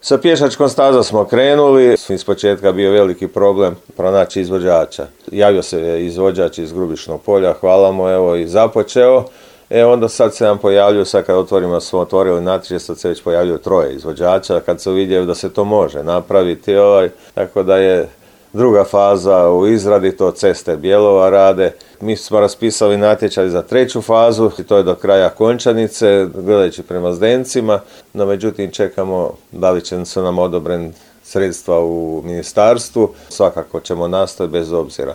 Sa pješačkom stazom smo krenuli, iz početka bio veliki problem pronaći izvođača. Javio se izvođač iz Grubišnog Polja, hvala mu, evo i započeo. Onda sad se nam pojavljuju, sad kad smo otvorili natječaj, sad se već pojavljuju 3 izvođača, kad se uvidjeli da se to može napraviti, tako da je druga faza u izradi, to Ceste Bjelova rade. Mi smo raspisali natječaj za 3. fazu i to je do kraja Končanice, gledajući prema Zdencima, no međutim čekamo da li će se nam odobren sredstva u ministarstvu, svakako ćemo nastaviti bez obzira.